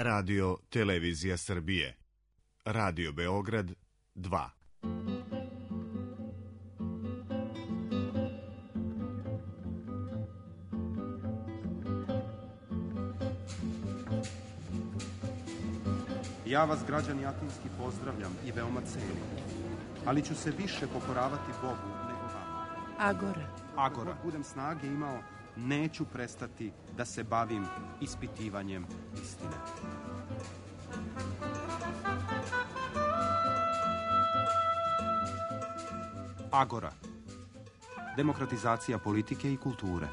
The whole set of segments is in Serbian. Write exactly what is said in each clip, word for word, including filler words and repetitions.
Radio Televizija Srbije. Radio Beograd dva. Ja vas, građani Atinski, pozdravljam i veoma cenim, ali ću se više pokoravati Bogu nego vama. Agora. Agora. Dok budem snage imao, neću prestati da se bavim ispitivanjem istine. Agora. Demokratizacija politike i kulture.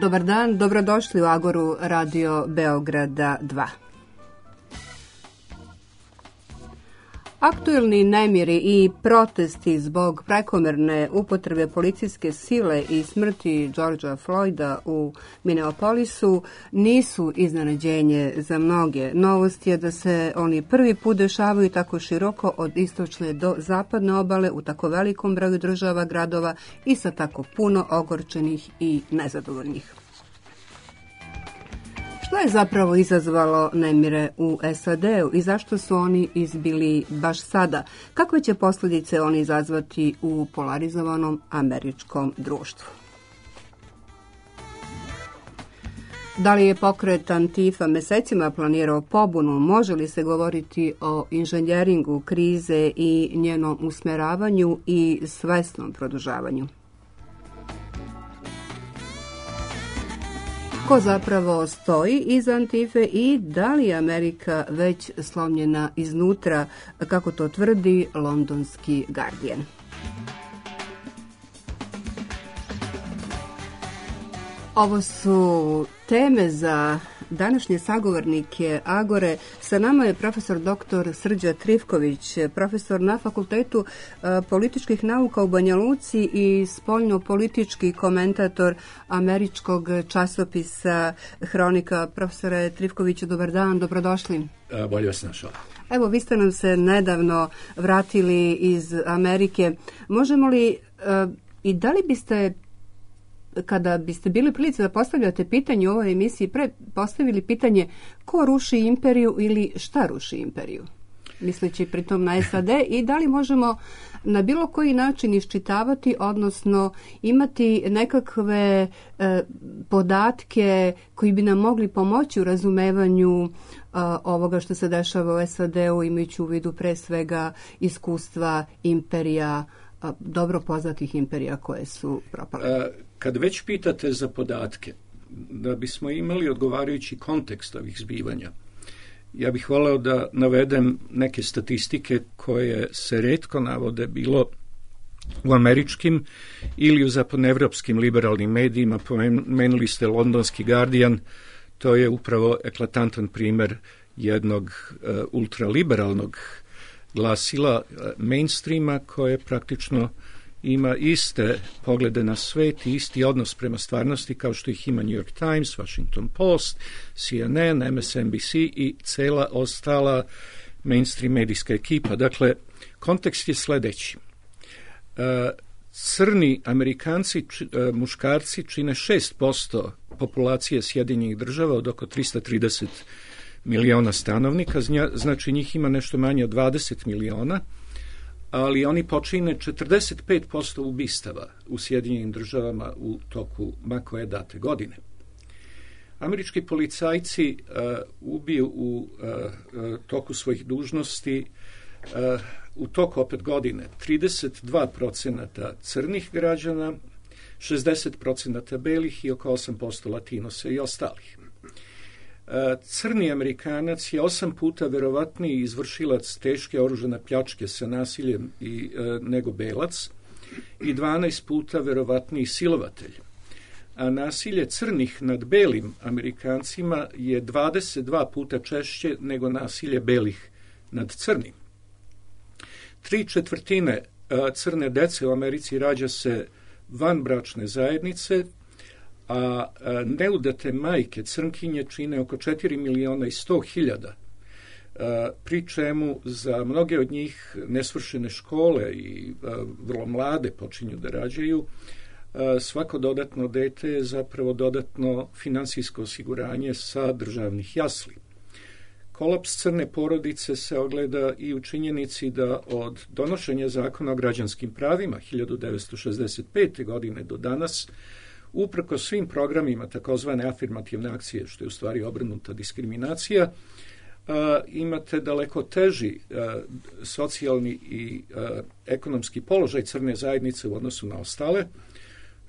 Dobar dan, dobrodošli u Agoru Radio Beograda dva. Aktuelni nemiri i protesti zbog prekomerne upotrebe policijske sile i smrti Georgea Floyda u Minneapolisu nisu iznenađenje za mnoge. Novost je da se oni prvi put dešavaju tako široko od istočne do zapadne obale u tako velikom broju država, gradova i sa tako puno ogorčenih i nezadovoljnih. Što je zapravo izazvalo nemire u S A D-u i zašto su oni izbili baš sada? Kakve će posljedice oni izazvati u polarizovanom američkom društvu? Da li je pokret Antifa mesecima planirao pobunu? Može li se govoriti o inženjeringu krize i njenom usmeravanju i svesnom produžavanju? Ko zapravo stoji iza Antife i da li je Amerika već slomljena iznutra, kako to tvrdi londonski Guardian? Ovo su teme za današnje sagovornike Agore. Sa nama je profesor doktor Srđa Trifković, profesor na Fakultetu političkih nauka u Banja Luci i spoljno-politički komentator američkog časopisa Hronika. Profesore Trifkoviću, dobar dan, dobrodošli. Bolje vas našao. Evo, vi ste nam se nedavno vratili iz Amerike. Možemo li i da li biste, kada biste bili prilici da postavljate pitanje u ovoj emisiji, pre postavili pitanje ko ruši imperiju ili šta ruši imperiju? Misleći pritom na S A D i da li možemo na bilo koji način iščitavati, odnosno imati nekakve e, podatke koji bi nam mogli pomoći u razumevanju a, ovoga što se dešava u S A D-u, imajući u vidu pre svega iskustva imperija, a, dobro poznatih imperija koje su propale. Kad već pitate za podatke, da bismo imali odgovarajući kontekst ovih zbivanja, ja bih voleo da navedem neke statistike koje se retko navode bilo u američkim ili u zapadnoevropskim liberalnim medijima. Pomenuli ste londonski Guardian, to je upravo eklatantan primer jednog uh, ultraliberalnog glasila uh, mainstreama koje praktično ima iste poglede na svet i isti odnos prema stvarnosti kao što ih ima New York Times, Washington Post, C N N, M S N B C i cela ostala mainstream medijska ekipa. Dakle, kontekst je sledeći. Crni Amerikanci, muškarci, čine šest posto populacije Sjedinjenih država od oko tristo trideset miliona stanovnika, znači njih ima nešto manje od dvadeset miliona, ali oni počine četrdeset pet posto ubistava u Sjedinjenim državama u toku ma koje date godine. Američki policajci uh, ubiju u uh, uh, toku svojih dužnosti uh, u toku opet godine trideset dva procenta crnih građana, šezdeset procenta belih i oko osam posto latinosa i ostalih. Crni Amerikanac je osam puta verovatniji izvršilac teške oružane pljačke sa nasiljem i, e, nego belac i dvanaest puta verovatniji silovatelj. a nasilje crnih nad belim Amerikancima je dvadeset dva puta češće nego nasilje belih nad crnim. Tri četvrtine crne dece u Americi rađa se vanbračne zajednice, a neudate majke crnkinje čine oko četiri miliona i sto hiljada, pri čemu za mnoge od njih nesvršene škole i vrlo mlade počinju da rađaju. Svako dodatno dete je zapravo dodatno finansijsko osiguranje sa državnih jasli. Kolaps crne porodice se ogleda i u činjenici da od donošenja zakona o građanskim pravima hiljadu devetsto šezdeset pete. godine do danas, uprko svim programima takozvane afirmativne akcije, što je u stvari obrnuta diskriminacija, imate daleko teži socijalni i ekonomski položaj crne zajednice u odnosu na ostale,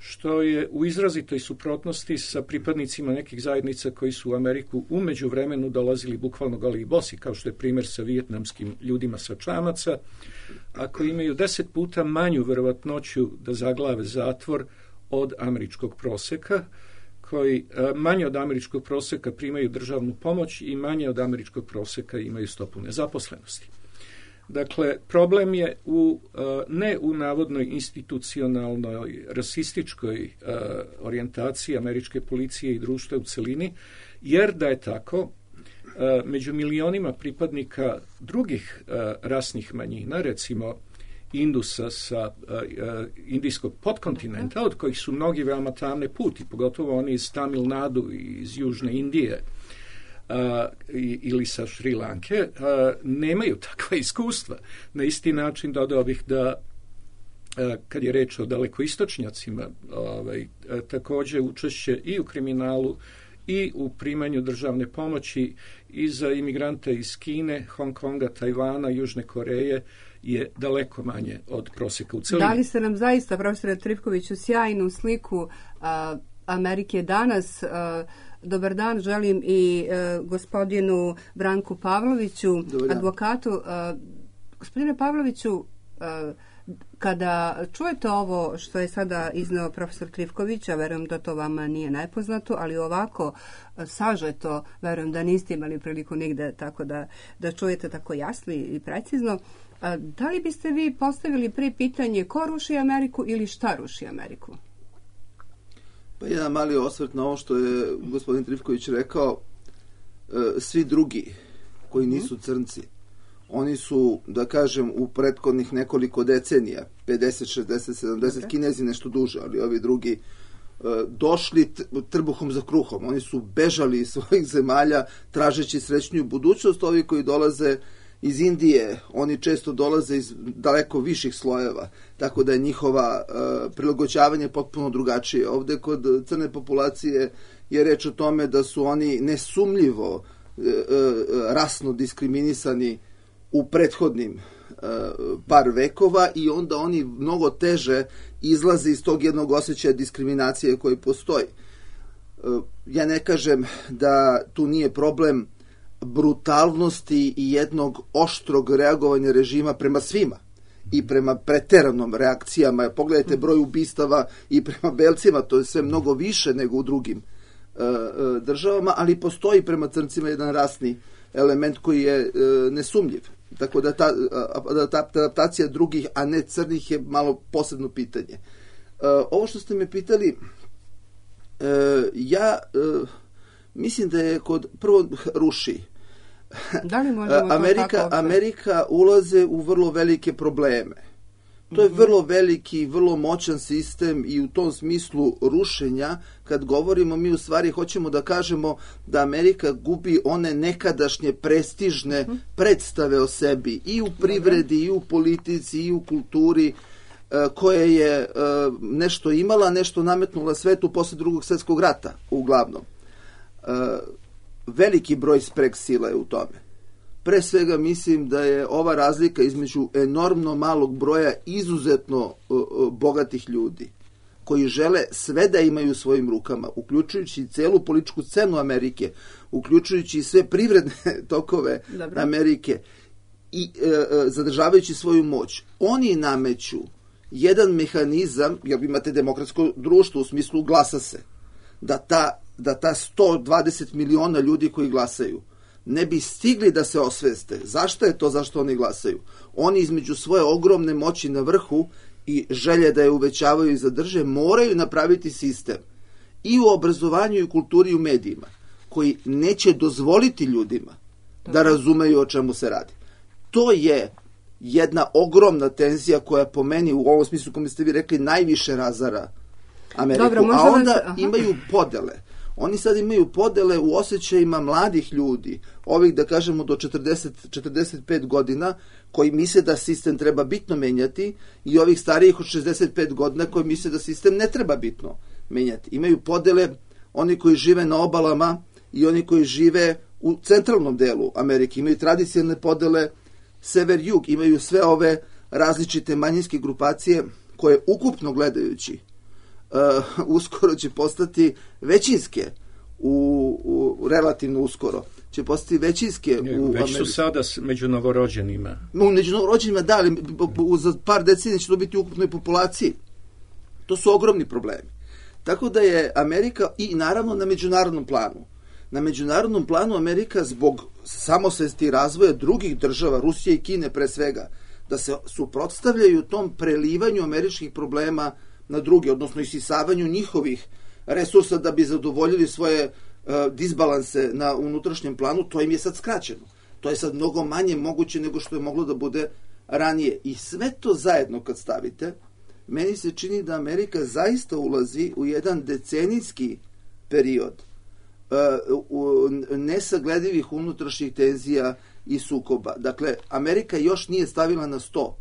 što je u izrazitoj suprotnosti sa pripadnicima nekih zajednica koji su u Ameriku u međuvremenu dolazili bukvalno goli i bosi, kao što je primjer sa vijetnamskim ljudima sa čamaca, a koji imaju deset puta manju verovatnoću da zaglave zatvor od američkog proseka, koji manje od američkog proseka primaju državnu pomoć i manje od američkog proseka imaju stopu nezaposlenosti. Dakle, problem je u, ne u navodnoj institucionalnoj rasističkoj orijentaciji američke policije i društva u celini, jer da je tako, među milionima pripadnika drugih rasnih manjina, recimo Indusa sa indijskog podkontinenta, od kojih su mnogi veoma tamne puti, pogotovo oni iz Tamil Nadu i iz Južne Indije, Uh, ili sa Šri Lanke, uh, nemaju takva iskustva. Na isti način dodao bih da uh, kad je reč o dalekoistočnjacima, ovaj, uh, također učešće i u kriminalu i u primanju državne pomoći i za imigrante iz Kine, Hong Konga, Tajvana, Južne Koreje je daleko manje od prosjeka u celini. Dali ste nam zaista, profesore Trifkoviću, sjajnu sliku uh, Amerike danas. Uh, Dobar dan, želim i e, gospodinu Branku Pavloviću, advokatu. E, gospodine Pavloviću, e, kada čujete ovo što je sada izneo profesor Trifković, a verujem da to vama nije nepoznato, ali ovako e, sažeto, verujem da niste imali priliku nigde tako da, da čujete tako jasno i precizno, e, da li biste vi postavili pre pitanje ko ruši Ameriku ili šta ruši Ameriku? Pa jedan mali osvrt na ovo što je gospodin Trifković rekao, svi drugi koji nisu crnci, oni su, da kažem, u prethodnih nekoliko decenija, pedeset, šezdeset, sedamdeset, Kinezi nešto duže, ali ovi drugi došli trbuhom za kruhom. Oni su bežali iz svojih zemalja tražeći srećniju budućnost. Ovi koji dolaze iz Indije, oni često dolaze iz daleko viših slojeva, tako da je njihova uh, prilagođavanje potpuno drugačije. Ovde kod crne populacije je reč o tome da su oni nesumljivo uh, uh, rasno diskriminisani u prethodnim uh, par vekova i onda oni mnogo teže izlaze iz tog jednog osjećaja diskriminacije koji postoji. Uh, ja ne kažem da tu nije problem brutalnosti i jednog oštrog reagovanja režima prema svima i prema preteranom reakcijama. Pogledajte broj ubistava i prema belcima, to je sve mnogo više nego u drugim uh, uh, državama, ali postoji prema crncima jedan rasni element koji je uh, nesumljiv. Tako da ta, uh, ta adaptacija drugih, a ne crnih, je malo posebno pitanje. Uh, ovo što ste me pitali, uh, ja uh, mislim da je kod prvo ruši. Da li možemo Amerika, to tako Amerika ulaze u vrlo velike probleme. To je vrlo veliki, vrlo moćan sistem i u tom smislu rušenja, kad govorimo, mi u stvari hoćemo da kažemo da Amerika gubi one nekadašnje prestižne uh-huh. predstave o sebi i u privredi, i u politici, i u kulturi, koje je nešto imala, nešto nametnula svetu posle drugog svjetskog rata, uglavnom. Veliki broj spreg sila je u tome. Pre svega mislim da je ova razlika između enormno malog broja izuzetno bogatih ljudi koji žele sve da imaju u svojim rukama, uključujući celu političku scenu Amerike, uključujući sve privredne tokove Dobro. Amerike i e, zadržavajući svoju moć. Oni nameću jedan mehanizam, jer imate demokratsko društvo u smislu glasa se. da ta, da ta sto dvadeset miliona ljudi koji glasaju ne bi stigli da se osveste. Zašto je to zašto oni glasaju? Oni između svoje ogromne moći na vrhu i želje da je uvećavaju i zadrže, moraju napraviti sistem i u obrazovanju i u kulturi i u medijima koji neće dozvoliti ljudima da razumeju o čemu se radi. To je jedna ogromna tenzija koja po meni u ovom smislu, kako ste vi rekli, najviše razara Ameriku. Dobro, a onda vas... imaju podele. Oni sad imaju podele u osjećajima mladih ljudi, ovih da kažemo do četrdeset do četrdeset pet godina, koji misle da sistem treba bitno menjati, i ovih starijih od šezdeset pet godina koji misle da sistem ne treba bitno menjati. Imaju podele oni koji žive na obalama i oni koji žive u centralnom delu Amerike. Imaju tradicionalne podele sever-jug, imaju sve ove različite manjinske grupacije koje ukupno gledajući uh, uskoro će postati većinske u, u relativno uskoro će postati većinske ne, u već Americi. Su sada među novorođenima. Među novorođenima, da, ali za par decenija će to biti u ukupnoj populaciji. To su ogromni problemi. Tako da je Amerika, i naravno na međunarodnom planu, na međunarodnom planu Amerika zbog samosvesti i razvoja drugih država, Rusije i Kine pre svega, da se suprotstavljaju tom prelivanju američkih problema na druge, odnosno isisavanju njihovih resursa da bi zadovoljili svoje uh, disbalanse na unutrašnjem planu, to im je sad skraćeno. To je sad mnogo manje moguće nego što je moglo da bude ranije. I sve to zajedno kad stavite, meni se čini da Amerika zaista ulazi u jedan decenijski period uh, nesagledivih unutrašnjih tenzija i sukoba. Dakle, Amerika još nije stavila na sto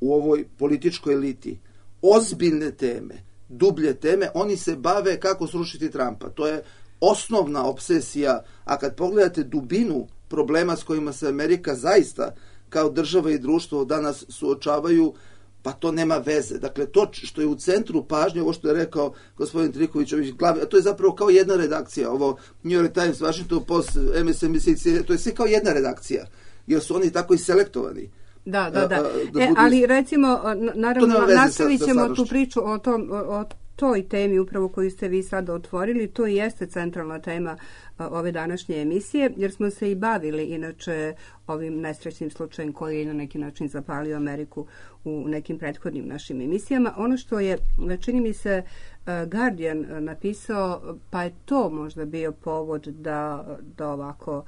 u ovoj političkoj eliti ozbiljne teme, dublje teme. Oni se bave kako srušiti Trumpa. To je osnovna obsesija, a kad pogledate dubinu problema s kojima se Amerika zaista kao država i društvo danas suočavaju, pa to nema veze. Dakle, to što je u centru pažnje, ovo što je rekao gospodin Triković, a to je zapravo kao jedna redakcija. Ovo New York Times, Washington Post, M S N B C, to je sve kao jedna redakcija, jer su oni tako i selektovani. Da, da, da. da e, ali recimo, naravno, nastavit ćemo tu priču o, tom, o, o toj temi upravo koju ste vi sada otvorili. To i jeste centralna tema ove današnje emisije, jer smo se i bavili inače ovim nesrećnim slučajem koji je na neki način zapalio Ameriku u nekim prethodnim našim emisijama. Ono što je, čini mi se, Guardian napisao, pa je to možda bio povod da, da ovako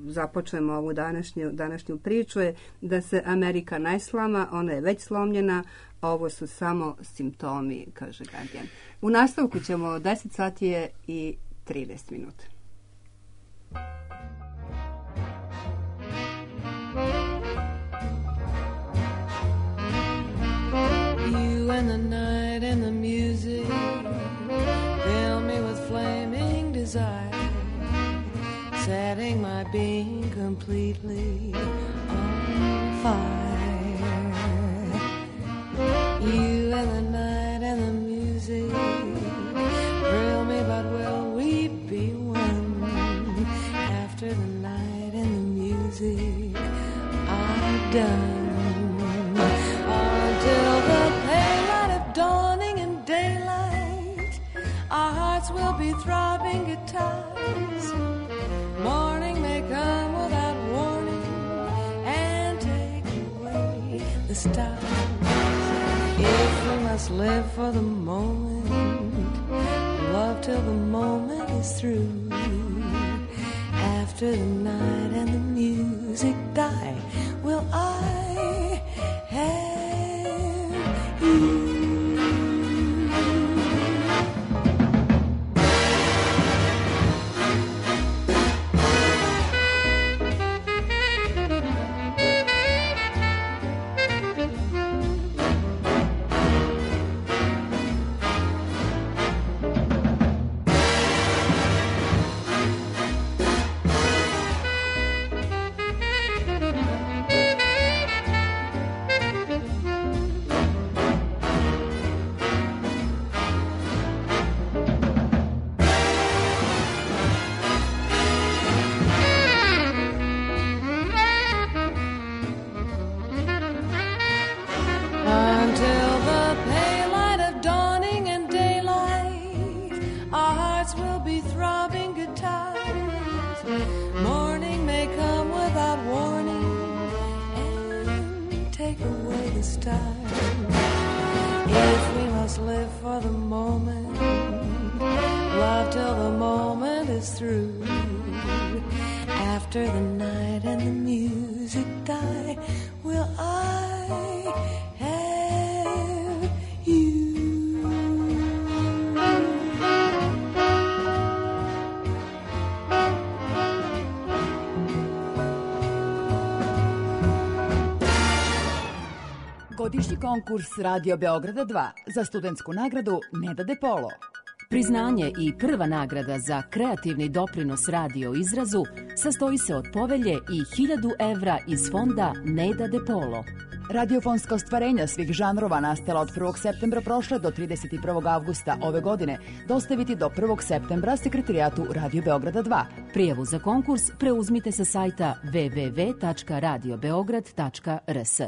započnemo ovu današnju, današnju priču, je da se Amerika ne slama, ona je već slomljena, a ovo su samo simptomi, kaže Guardian. U nastavku ćemo, deset sati je i trinaest minuta. You and the night and the music fill me with flaming desire, setting my being completely on fire. You and the night and the music thrill me, but will we be one after the night and the music are done? Until the pale light of dawning and daylight, our hearts will be throbbing guitars. Morning may come without warning and take away the stars. If we must live for the moment, love till the moment is through. After the night and the music die, will I have you? this time. If we must live for the moment, love till the moment is through. After the night and the music die, will I have you? Godišnji konkurs Radio Beograda dva za studentsku nagradu Neda De Polo. Priznanje i prva nagrada za kreativni doprinos radio izrazu sastoji se od povelje i hiljadu evra iz fonda Neda De Polo. Radiofonska ostvarenja svih žanrova nastala od prvog septembra prošle do trideset prvog avgusta ove godine dostaviti do prvog septembra sekretarijatu Radio Beograda dva. Prijavu za konkurs preuzmite sa sajta w w w tačka radio beograd tačka r s.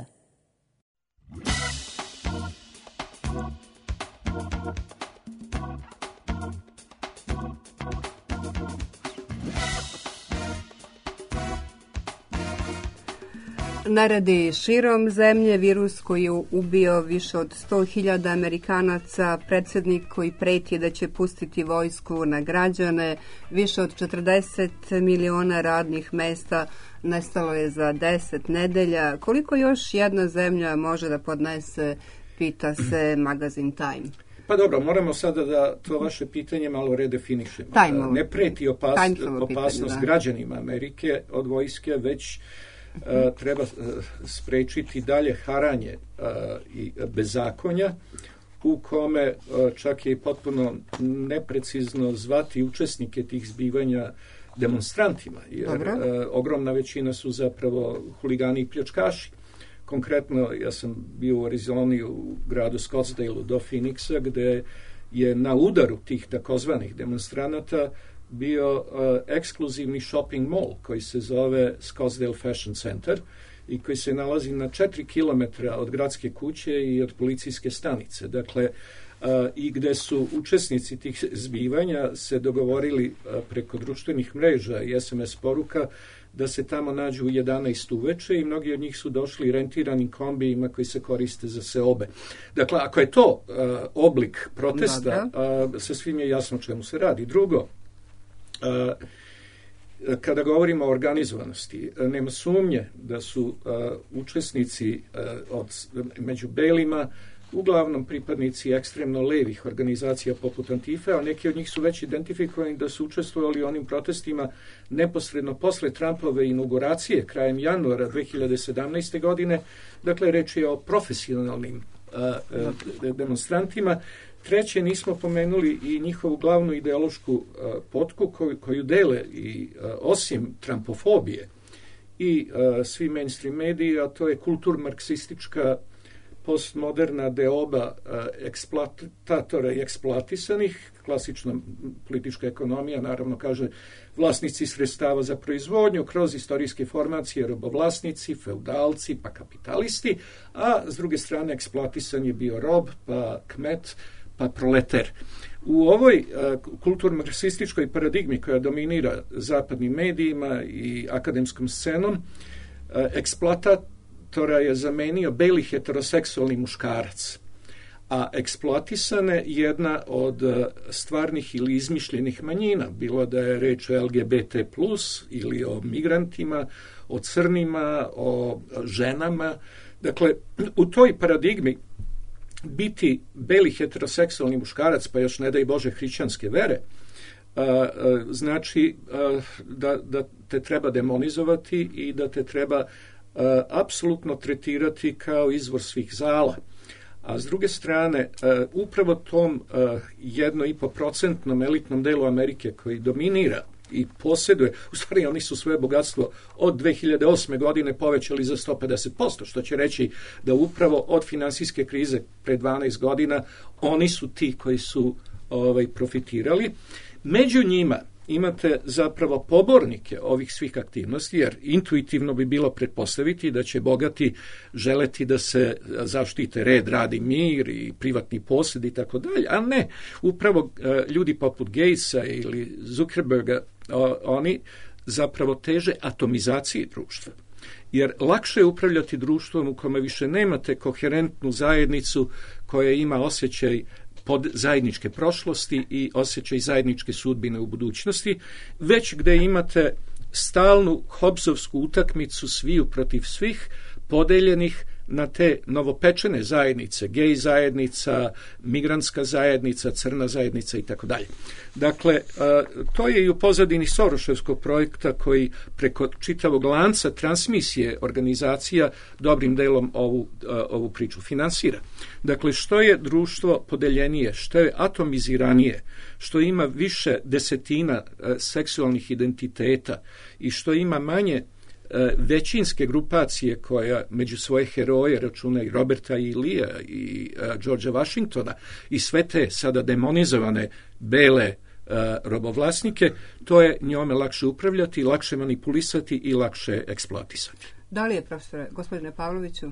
Naredi širom zemlje virus koji je ubio više od sto hiljada Amerikanaca, predsjednik koji preti da će pustiti vojsku na građane, više od četrdeset miliona radnih mesta nestalo je za deset nedelja. Koliko još jedna zemlja može da podnese, pita se magazin Time. Pa dobro, moramo sada da to vaše pitanje malo redefinišemo. Time-ovo. Ne preti opas, Time-ovo opasnost pitanje, da. građanima Amerike od vojske, već Uh, treba uh, sprečiti dalje haranje uh, i bezakonja u kome uh, čak je potpuno neprecizno zvati učesnike tih zbivanja demonstrantima, jer uh, ogromna većina su zapravo huligani i pljačkaši. Konkretno, ja sam bio u Arizoni u gradu Scottsdale do Phoenixa, gde je na udaru tih takozvanih demonstranata bio uh, ekskluzivni shopping mall koji se zove Scottsdale Fashion Center i koji se nalazi na četiri kilometra od gradske kuće i od policijske stanice. Dakle, uh, i gde su učesnici tih zbivanja se dogovorili uh, preko društvenih mreža i es em es poruka da se tamo nađu u jedanaest uveče i mnogi od njih su došli rentiranim kombijima koji se koriste za seobe. Dakle, ako je to uh, oblik protesta, uh, sa svim je jasno čemu se radi. Drugo, Uh, kada govorimo o organizovanosti, nema sumnje da su uh, učesnici uh, od, među belima uglavnom pripadnici ekstremno levih organizacija poput Antife, a neki od njih su već identifikovani da su učestvovali u onim protestima neposredno posle Trumpove inauguracije krajem januara dve hiljade sedamnaeste. godine. Dakle, reč je o profesionalnim uh, uh, demonstrantima. Treće, nismo pomenuli i njihovu glavnu ideološku uh, potku koju, koju dele i uh, osim trumpofobije i uh, svi mainstream mediji, a to je kultur-marksistička postmoderna deoba uh, eksploatatora i eksploatisanih. Klasična politička ekonomija naravno kaže vlasnici sredstava za proizvodnju kroz istorijske formacije, robovlasnici, feudalci pa kapitalisti, a s druge strane eksploatisan je bio rob pa kmet pa proleter. U ovoj uh, kulturno-marksističkoj paradigmi koja dominira zapadnim medijima i akademskom scenom, uh, eksploatatora je zamenio beli heteroseksualni muškarac, a eksploatisane jedna od uh, stvarnih ili izmišljenih manjina, bilo da je reč o el ge be te plus ili o migrantima, o crnima, o ženama. Dakle, u toj paradigmi biti beli heteroseksualni muškarac, pa još ne daj Bože hrišćanske vere, a, a, znači a, da, da te treba demonizovati i da te treba a, apsolutno tretirati kao izvor svih zala. A s druge strane, a, upravo tom jedno i po procentnom elitnom delu Amerike koji dominira i posjeduje, u stvari oni su svoje bogatstvo od dve hiljade osme. godine povećali za sto pedeset posto, što će reći da upravo od finansijske krize pre dvanaest godina oni su ti koji su ovaj, profitirali. Među njima imate zapravo pobornike ovih svih aktivnosti, jer intuitivno bi bilo pretpostaviti da će bogati želeti da se zaštite red, rad i mir i privatni posjed i tako dalje, a ne, upravo ljudi poput Gatesa ili Zuckerberga, oni zapravo teže atomizaciji društva. Jer lakše je upravljati društvom u kome više nemate koherentnu zajednicu koja ima osjećaj pod zajedničke prošlosti i osjećaj zajedničke sudbine u budućnosti, već gde imate stalnu Hobbesovsku utakmicu sviju protiv svih, podeljenih na te novopečene zajednice, gej zajednica, migrantska zajednica, crna zajednica i tako dalje. Dakle, to je i u pozadini Soroševskog projekta koji preko čitavog lanca transmisije organizacija dobrim delom ovu, ovu priču finansira. Dakle, što je društvo podeljenije, što je atomiziranije, što ima više desetina seksualnih identiteta i što ima manje većinske grupacije koja među svoje heroje računa i Roberta i Lea i uh, Georgea Washingtona i sve te sada demonizovane bele uh, robovlasnike, to je njome lakše upravljati, lakše manipulisati i lakše eksploatisati. Da li je, profesore, gospodine Pavloviću?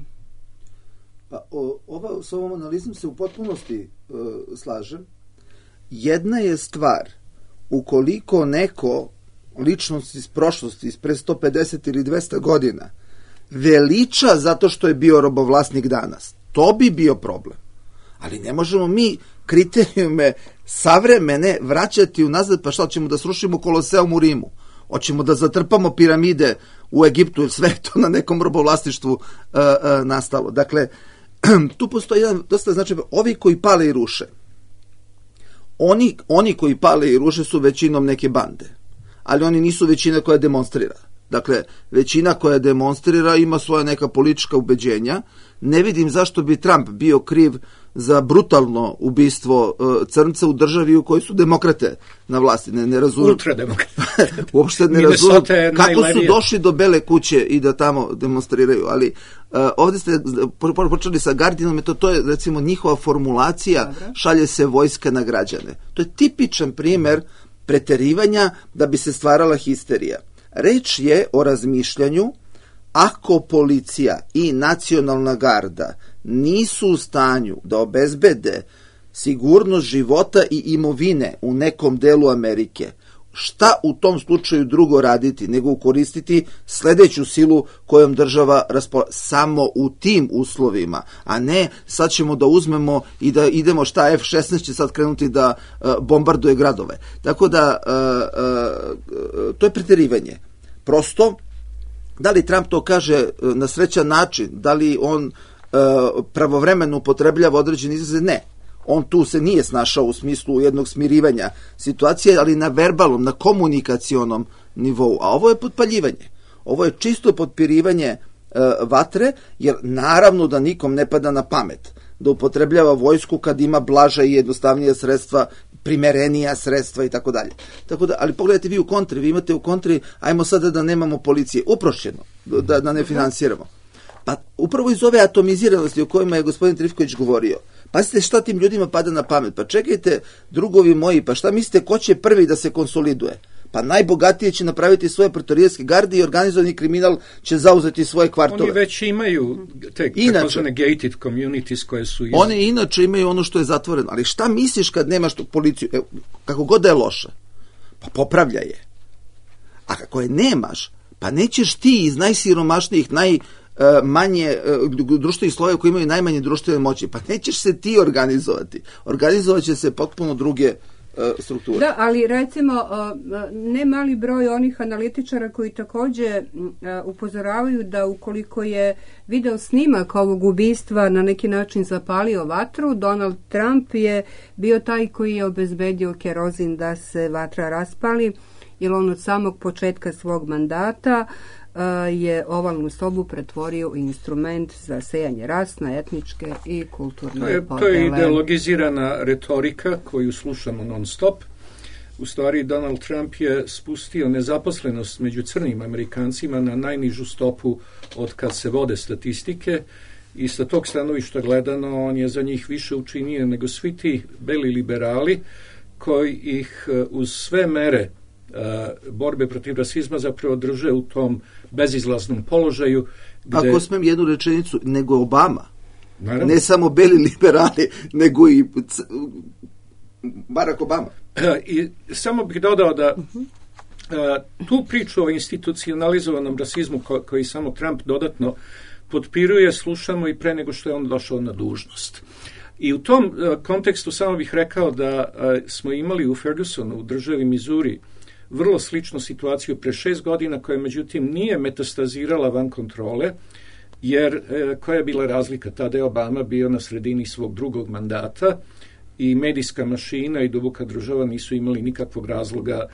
Pa, o, ova, s ovom analizom se u potpunosti uh, slažem. Jedna je stvar, ukoliko neko ličnost iz prošlosti, iz pre sto pedeset ili dvesta godina, veliča zato što je bio robovlasnik danas. To bi bio problem. Ali ne možemo mi kriterijume savremene vraćati unazad, pa šta, ćemo da srušimo Koloseum u Rimu? Hoćemo da zatrpamo piramide u Egiptu, jer sve to na nekom robovlasništvu uh, uh, nastalo. Dakle, tu postoji jedan dosta značajan, ovi koji pale i ruše. Oni, oni koji pale i ruše su većinom neke bande. Ali oni nisu većina koja demonstrira. Dakle, većina koja demonstrira ima svoja neka politička ubeđenja. Ne vidim zašto bi Trump bio kriv za brutalno ubistvo uh, crnca u državi u kojoj su demokrate na vlasti. Ne, ne razumem. Ultrademokrate. Uopšte ne razumem kako su došli do Bele kuće i da tamo demonstriraju. Ali uh, ovdje ste počeli sa Guardianom, to, to je recimo njihova formulacija, Dobre. Šalje se vojska na građane. To je tipičan primer preterivanja da bi se stvarala histerija. Reč je o razmišljanju ako policija i nacionalna garda nisu u stanju da obezbede sigurnost života i imovine u nekom delu Amerike, šta u tom slučaju drugo raditi nego koristiti sledeću silu kojom država raspolaže samo u tim uslovima, a ne sad ćemo da uzmemo i da idemo šta F šesnaest će sad krenuti da uh, bombarduje gradove. Tako da uh, uh, to je preterivanje. Prosto, da li Trump to kaže uh, na srećan način, da li on uh, pravovremeno upotrebljava određene izraze? Ne. On tu se nije snašao u smislu jednog smirivanja situacije, ali na verbalnom, na komunikacionom nivou. A ovo je potpaljivanje. Ovo je čisto potpirivanje e, vatre, jer naravno da nikom ne pada na pamet da upotrebljava vojsku kad ima blaža i jednostavnija sredstva, primerenija sredstva i tako dalje. Tako da, ali pogledajte vi u kontri, vi imate u kontri, ajmo sada da nemamo policije, uprošćeno, da, da ne finansiramo. Pa upravo iz ove atomiziranosti o kojima je gospodin Trifković govorio, pazite šta tim ljudima pada na pamet. Pa čekajte, drugovi moji, pa šta mislite ko će prvi da se konsoliduje? Pa najbogatije će napraviti svoje pretorijanske garde i organizovani kriminal će zauzeti svoje kvartove. Oni već imaju te takozvane gated communities koje su... Iz... Oni inače imaju ono što je zatvoreno. Ali šta misliš kad nemaš tu policiju? E, kako god da je loša, pa popravlja je. A kako je nemaš, pa nećeš ti iz najsiromašnijih, naj... manje društvenih slojeva koji imaju najmanje društvene moći. Pa nećeš se ti organizovati. Organizovat će se potpuno druge strukture. Da, ali recimo ne mali broj onih analitičara koji takođe upozoravaju da ukoliko je video snimak ovog ubistva na neki način zapalio vatru, Donald Trump je bio taj koji je obezbedio kerozin da se vatra raspali, jer on od samog početka svog mandata je ovalnu sobu pretvorio u instrument za sejanje rasne, etničke i kulturne to je, podele. To je ideologizirana retorika koju slušamo non stop. U stvari Donald Trump je spustio nezaposlenost među crnim Amerikancima na najnižu stopu od kad se vode statistike i sa tog stanovišta gledano on je za njih više učinio nego svi ti beli liberali koji ih uz sve mere Uh, borbe protiv rasizma zapravo drže u tom bezizlaznom položaju. Gde... Ako smem jednu rečenicu, nego Obama. Naravno. Ne samo beli liberali, nego i c... Barack Obama. Uh, I samo bih dodao da uh-huh. tu priču o institucionalizovanom rasizmu ko, koji samo Trump dodatno potpiruje, slušamo i pre nego što je on došao na dužnost. I u tom uh, kontekstu samo bih rekao da uh, smo imali u Fergusonu, u državi Missouri, vrlo sličnu situaciju pre šest godina, koja međutim nije metastazirala van kontrole, jer uh, koja je bila razlika? Tada je Obama bio na sredini svog drugog mandata i medijska mašina i duboka država nisu imali nikakvog razloga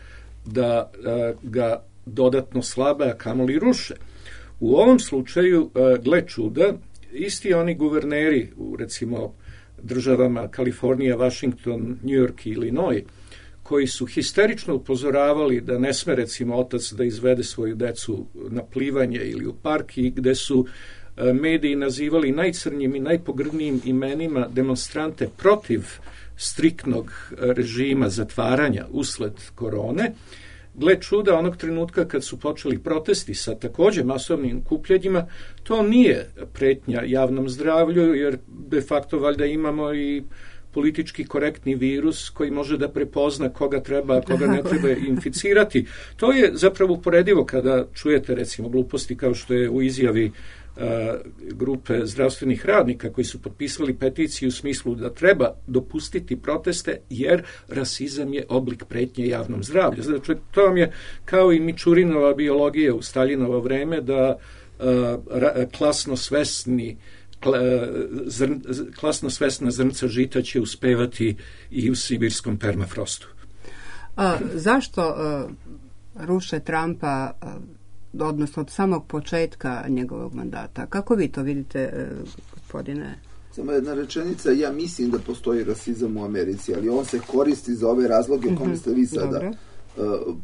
da uh, ga dodatno slabe, a kamoli ruše. U ovom slučaju, uh, gle čuda, isti oni guverneri u, recimo, državama Kalifornija, Washington, New York i Illinois, koji su histerično upozoravali da ne sme, recimo, otac da izvede svoju decu na plivanje ili u park, i gde su e, mediji nazivali najcrnjim i najpogrdnijim imenima demonstrante protiv striktnog režima zatvaranja usled korone. Gle čuda, onog trenutka kad su počeli protesti sa takođe masovnim kupljenjima, to nije pretnja javnom zdravlju, jer de facto valjda imamo i politički korektni virus koji može da prepozna koga treba, koga ne treba inficirati. To je zapravo uporedivo kada čujete, recimo, gluposti kao što je u izjavi uh, grupe zdravstvenih radnika koji su potpisali peticiju u smislu da treba dopustiti proteste jer rasizam je oblik pretnje javnom zdravlju. Znači, to vam je kao i Mičurinova biologija u Staljinovo vreme, da uh, ra, klasno svesni Zrn, klasno svesna zrnca žita će uspevati i u sibirskom permafrostu. A, zašto a, ruše Trumpa, a, odnosno od samog početka njegovog mandata? Kako vi to vidite, a, gospodine? Samo jedna rečenica, ja mislim da postoji rasizam u Americi, ali on se koristi za ove razloge o kome ste vi sada uh,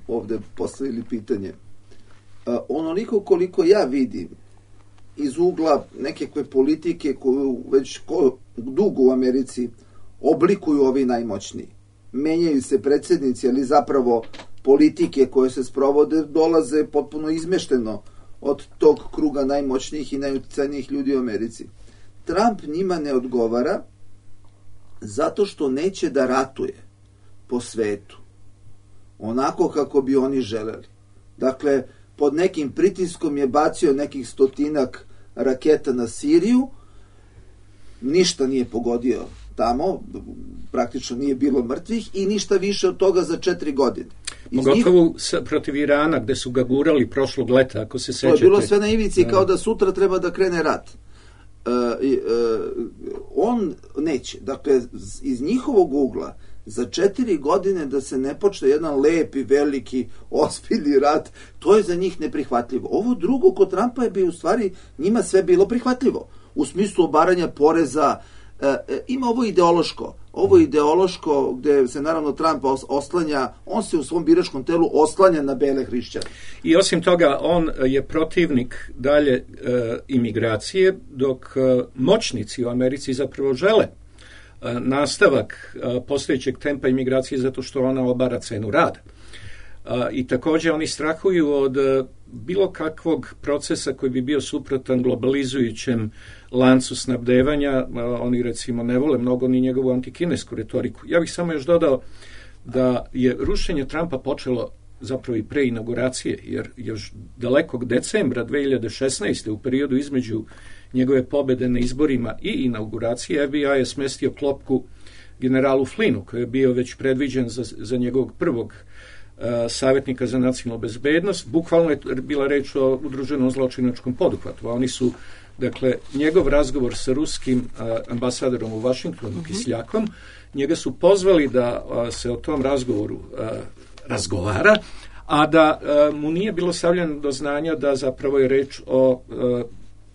ovde postavili pitanje. Uh, onoliko koliko ja vidim iz ugla nekakve politike koju već ko, dugo u Americi oblikuju ovi najmoćniji. Menjaju se predsjednici, ali zapravo politike koje se sprovode dolaze potpuno izmešteno od tog kruga najmoćnijih i najuticajnijih ljudi u Americi. Trump njima ne odgovara zato što neće da ratuje po svetu onako kako bi oni želeli. Dakle, pod nekim pritiskom je bacio nekih stotinak raketa na Siriju, ništa nije pogodio tamo, praktično nije bilo mrtvih i ništa više od toga za četiri godine. Pogotovo njih, protiv Irana, gde su ga gurali prošlog leta, ako se sećate. To je bilo sve na ivici, kao da sutra treba da krene rat. Uh, uh, on neće. Dakle, iz njihovog ugla, za četiri godine da se ne počne jedan lepi, veliki, ozbiljni rat, to je za njih neprihvatljivo. Ovo drugo kod Trumpa je bi u stvari njima sve bilo prihvatljivo. U smislu obaranja poreza, e, e, ima ovo ideološko. Ovo ideološko gde se naravno Trump oslanja, on se u svom biračkom telu oslanja na bele hrišćane. I osim toga, on je protivnik dalje e, imigracije, dok e, moćnici u Americi zapravo žele nastavak postojećeg tempa imigracije zato što ona obara cenu rada. I također oni strahuju od bilo kakvog procesa koji bi bio suprotan globalizujućem lancu snabdevanja. Oni recimo ne vole mnogo ni njegovu antikinesku retoriku. Ja bih samo još dodao da je rušenje Trumpa počelo zapravo i pre inauguracije, jer još dalekog decembra dve hiljade šesnaeste. u periodu između njegove pobede na izborima i inauguracije, F B I je smestio klopku generalu Flynnu, koji je bio već predviđen za, za njegovog prvog uh, savjetnika za nacionalnu bezbednost. Bukvalno je bila reč o udruženom zločinačkom poduhvatu. A oni su, dakle, njegov razgovor sa ruskim uh, ambasadorom u Washingtonu, mm-hmm. Kisljakom, njega su pozvali da uh, se o tom razgovoru uh, razgovara, a da uh, mu nije bilo stavljeno do znanja da zapravo je reč o uh,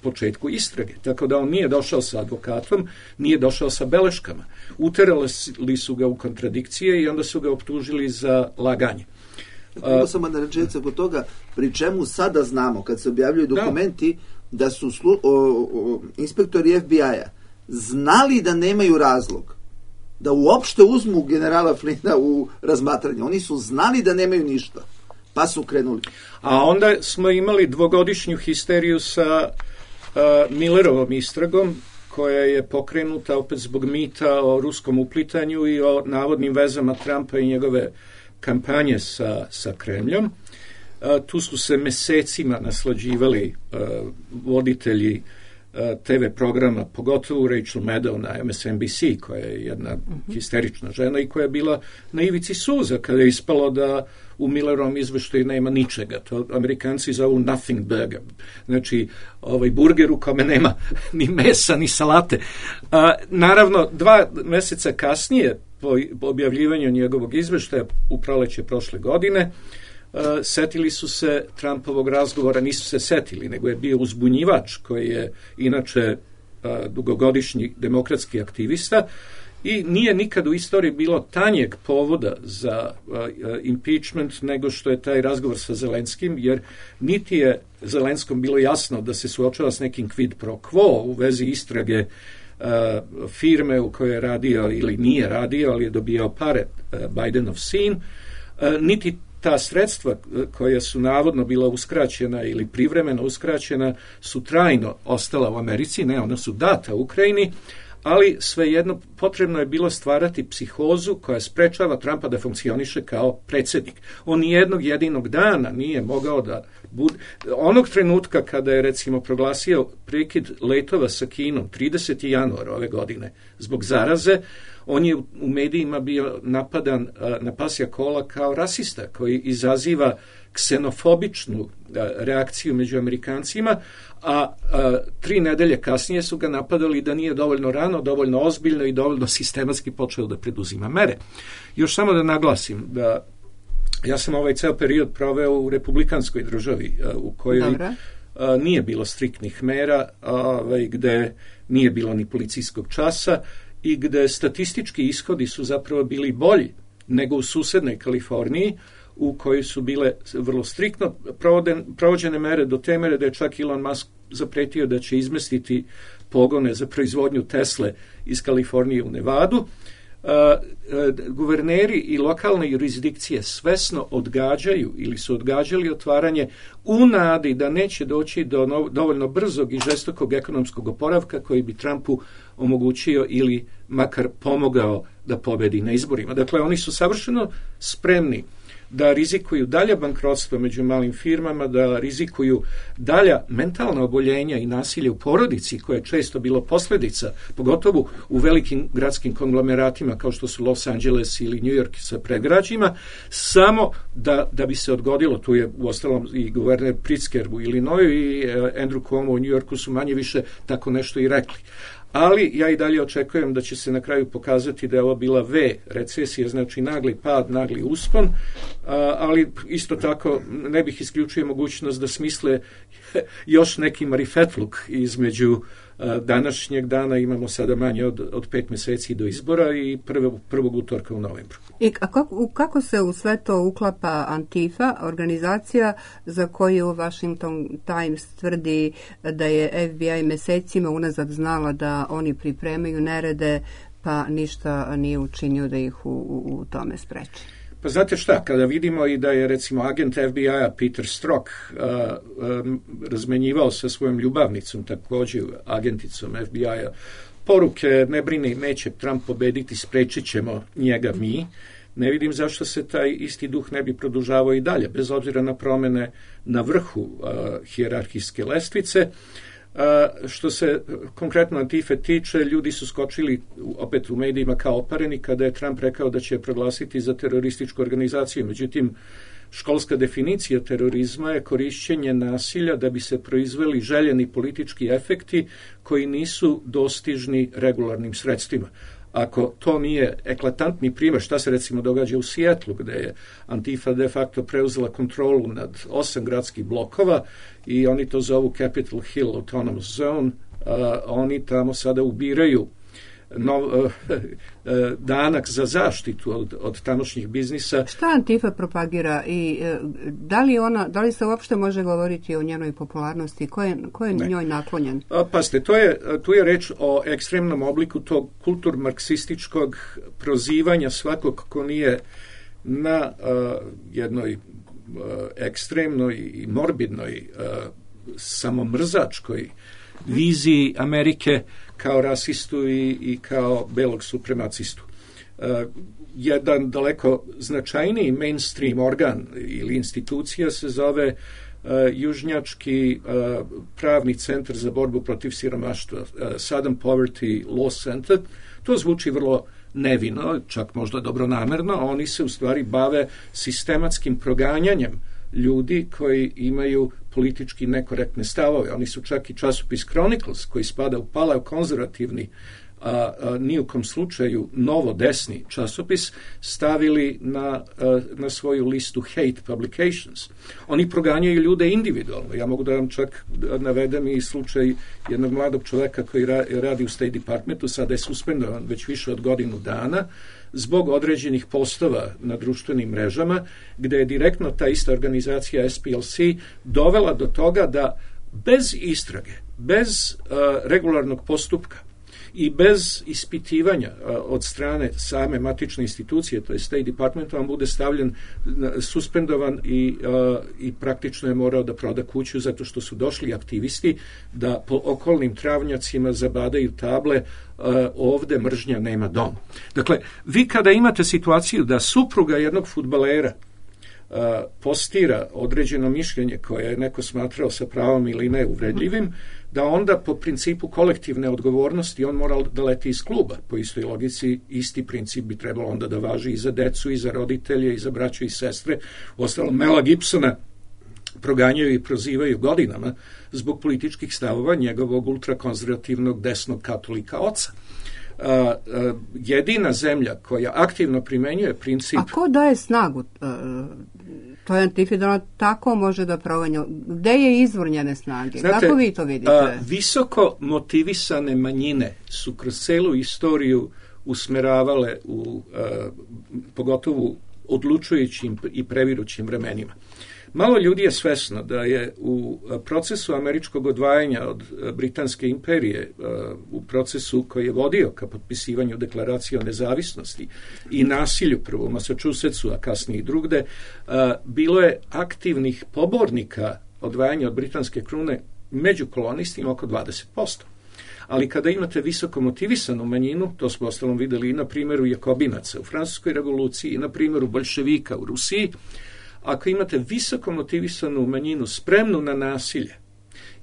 početku istrage. Tako da on nije došao sa advokatom, nije došao sa beleškama. Uterali su ga u kontradikcije i onda su ga optužili za laganje. Tako samo na rečenica kod toga, pri čemu sada znamo, kad se objavljuju dokumenti, da, da su slu, o, o, inspektori F B I-a znali da nemaju razlog da uopšte uzmu generala Flynna u razmatranje. Oni su znali da nemaju ništa, pa su krenuli. A onda smo imali dvogodišnju histeriju sa uh, Millerovom istragom, koja je pokrenuta opet zbog mita o ruskom uplitanju i o navodnim vezama Trumpa i njegove kampanje sa, sa Kremljom. Tu su se mesecima naslađivali voditelji te ve programa, pogotovo Rachel Maddow na em es en bi si, koja je jedna uh-huh. histerična žena i koja je bila na ivici suza kada je ispalo da u Millerovom izveštaju nema ničega. To Amerikanci zovu nothing burger. Znači, ovaj burger u kome nema ni mesa, ni salate. A, naravno, dva meseca kasnije, po objavljivanju njegovog izveštaja u proleće prošle godine, Uh, setili su se Trumpovog razgovora, nisu se setili, nego je bio uzbunjivač koji je inače uh, dugogodišnji demokratski aktivista i nije nikad u istoriji bilo tanjeg povoda za uh, impeachment nego što je taj razgovor sa Zelenskim, jer niti je Zelenskom bilo jasno da se suočava s nekim quid pro quo u vezi istrage uh, firme u kojoj je radio ili nije radio, ali je dobijao pare uh, Bidenov sin, uh, niti ta sredstva koja su navodno bila uskraćena ili privremeno uskraćena su trajno ostala u Americi, ne, ona su data Ukrajini, ali svejedno potrebno je bilo stvarati psihozu koja sprečava Trumpa da funkcioniše kao predsjednik. On nijednog jedinog dana nije mogao da bude... Onog trenutka kada je recimo proglasio prekid letova sa Kinom, tridesetog januara ove godine, zbog zaraze, on je u medijima bio napadan na pasja kola kao rasista koji izaziva ksenofobičnu reakciju među Amerikancima, a, a tri nedelje kasnije su ga napadali da nije dovoljno rano, dovoljno ozbiljno i dovoljno sistematski počeo da preduzima mere. Još samo da naglasim da ja sam ovaj ceo period proveo u republikanskoj državi u kojoj Dobre. nije bilo striktnih mera, ovaj, gde nije bilo ni policijskog časa i gde statistički ishodi su zapravo bili bolji nego u susednoj Kaliforniji, u kojoj su bile vrlo striktno provoden, provođene mere do te mere da je čak Elon Musk zapretio da će izmestiti pogone za proizvodnju Tesle iz Kalifornije u Nevadu. Uh, uh, guverneri i lokalne jurisdikcije svesno odgađaju ili su odgađali otvaranje u nadi da neće doći do no, dovoljno brzog i žestokog ekonomskog oporavka koji bi Trumpu omogućio ili makar pomogao da pobedi na izborima. Dakle, oni su savršeno spremni da rizikuju dalje bankrotstvo među malim firmama, da rizikuju dalja mentalna oboljenja i nasilje u porodici, koje je često bilo posljedica, pogotovo u velikim gradskim konglomeratima kao što su Los Angeles ili New York sa predgrađima, samo da, da bi se odgodilo. Tu je uostalom i guverner Pritzker u Illinoisu i Andrew Cuomo u New Yorku su manje više tako nešto i rekli. Ali ja i dalje očekujem da će se na kraju pokazati da je ovo bila V recesija, znači nagli pad, nagli uspon, ali isto tako ne bih isključio mogućnost da smisle još neki marifetluk između današnjeg dana, imamo sada manje od, od pet meseci do izbora i prvog, prvog utorka u novembru. I kako, kako se u sve to uklapa Antifa, organizacija za koju Washington Times tvrdi da je F B I mesecima unazad znala da oni pripremaju nerede, pa ništa nije učinio da ih u, u, u tome spreči? Pa znate šta, kada vidimo i da je recimo agent F B I-a Peter Strzok uh, um, razmenjivao sa svojom ljubavnicom, također agenticom F B I-a, poruke, ne brini, neće Trump pobediti, sprečit ćemo njega mi, ne vidim zašto se taj isti duh ne bi produžavao i dalje, bez obzira na promene na vrhu uh, hijerarhijske lestvice. Uh, što se konkretno Antife tiče, ljudi su skočili opet u medijima kao opareni kada je Trump rekao da će proglasiti za terorističku organizaciju. Međutim, školska definicija terorizma je korišćenje nasilja da bi se proizveli željeni politički efekti koji nisu dostižni regularnim sredstvima. Ako to nije eklatantni primjer, šta se recimo događa u Sijetlu, gde je Antifa de facto preuzela kontrolu nad osam gradskih blokova i oni to zovu Capitol Hill Autonomous Zone, a oni tamo sada ubiraju no, uh, uh, danak za zaštitu od, od tamošnjih biznisa. Šta Antifa propagira i uh, da li ona, da li se uopšte može govoriti o njenoj popularnosti, ko je, ko je njoj naklonjen? A, paste, to je, tu je reč o ekstremnom obliku tog kulturmarksističkog prozivanja svakog ko nije na uh, jednoj uh, ekstremnoj i morbidnoj uh, samomrzačkoj viziji Amerike kao rasistu i, i kao belog supremacistu. jedan daleko značajniji mainstream organ ili institucija se zove Uh, Južnjački uh, pravni centar za borbu protiv siromaštva, uh, Southern Poverty Law Center. To zvuči vrlo nevino, čak možda dobronamerno, oni se u stvari bave sistematskim proganjanjem ljudi koji imaju politički nekorektne stavove. Oni su čak i časopis Chronicles, koji spada u paleokonzervativni, a, a ni u kom slučaju novo desni časopis, stavili na, a, na svoju listu hate publications. Oni proganjaju ljude individualno. Ja mogu da vam čak navedem i slučaj jednog mladog čoveka koji ra, radi u State Departmentu, sada je suspendovan već više od godinu dana, zbog određenih postova na društvenim mrežama, gde je direktno ta ista organizacija S P L C dovela do toga da bez istrage, bez uh, regularnog postupka i bez ispitivanja uh, od strane same matične institucije, to je State Department, vam bude stavljen, suspendovan i, uh, i praktično je morao da proda kuću zato što su došli aktivisti da po okolnim travnjacima zabadaju table uh, ovde mržnja nema dom. Dakle, vi kada imate situaciju da supruga jednog fudbalera uh, postira određeno mišljenje koje je neko smatrao sa pravom ili ne uvredljivim, da onda po principu kolektivne odgovornosti on mora da leti iz kluba. Po istoj logici isti princip bi trebalo onda da važi i za decu, i za roditelje, i za braću i sestre. Uostalom, Mela Gibsona proganjaju i prozivaju godinama zbog političkih stavova njegovog ultrakonzervativnog desnog katolika oca. Uh, uh, jedina zemlja koja aktivno primenjuje princip... A ko daje snagu uh, toj Antifi da ona tako može da proganja? Gde je izvor njene snage? Znate, kako vi to vidite? Uh, visoko motivisane manjine su kroz celu istoriju usmeravale u uh, pogotovo odlučujućim i previrućim vremenima. Malo ljudi je svesno da je u procesu američkog odvajanja od Britanske imperije, u procesu koji je vodio ka potpisivanju deklaracije o nezavisnosti i nasilju prvo u Massachusettsu, a kasnije i drugde, bilo je aktivnih pobornika odvajanja od britanske krune među kolonistima oko dvadeset posto. Ali kada imate visoko motivisanu manjinu, to smo ostalom videli i na primjeru Jakobinaca u Francuskoj revoluciji i na primjeru Boljševika u Rusiji, ako imate visoko motivisanu manjinu spremnu na nasilje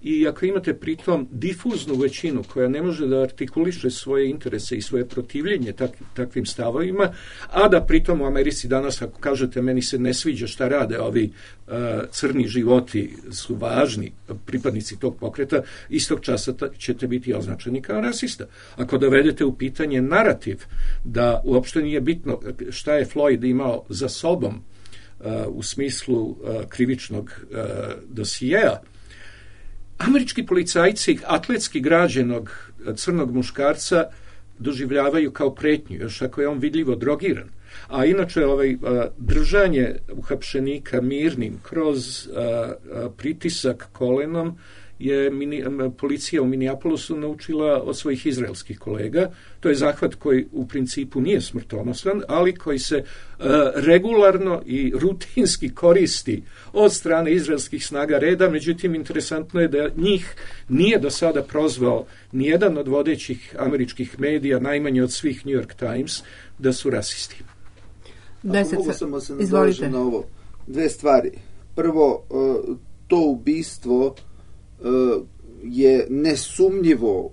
i ako imate pritom difuznu većinu koja ne može da artikuliše svoje interese i svoje protivljenje tak, takvim stavovima, a da pritom u Americi danas, ako kažete meni se ne sviđa šta rade ovi uh, crni životi su važni pripadnici tog pokreta, istog časa ta, ćete biti označeni kao rasista. Ako dovedete u pitanje narativ da uopšte nije bitno šta je Floyd imao za sobom Uh, u smislu uh, krivičnog uh, dosijeja, američki policajci atletski građenog crnog muškarca doživljavaju kao pretnju, još ako je on vidljivo drogiran. A inače ovaj, uh, držanje uhapšenika mirnim kroz uh, uh, pritisak kolenom je mini, policija u Minneapolisu naučila od svojih izraelskih kolega. To je zahvat koji u principu nije smrtonosan, ali koji se uh, regularno i rutinski koristi od strane izraelskih snaga reda. Međutim, interesantno je da njih nije do sada prozvao nijedan od vodećih američkih medija, najmanje od svih New York Times, da su rasisti. Ako mogu samo se nadovežem na ovo. Dve stvari. Prvo, uh, to ubistvo je nesumnjivo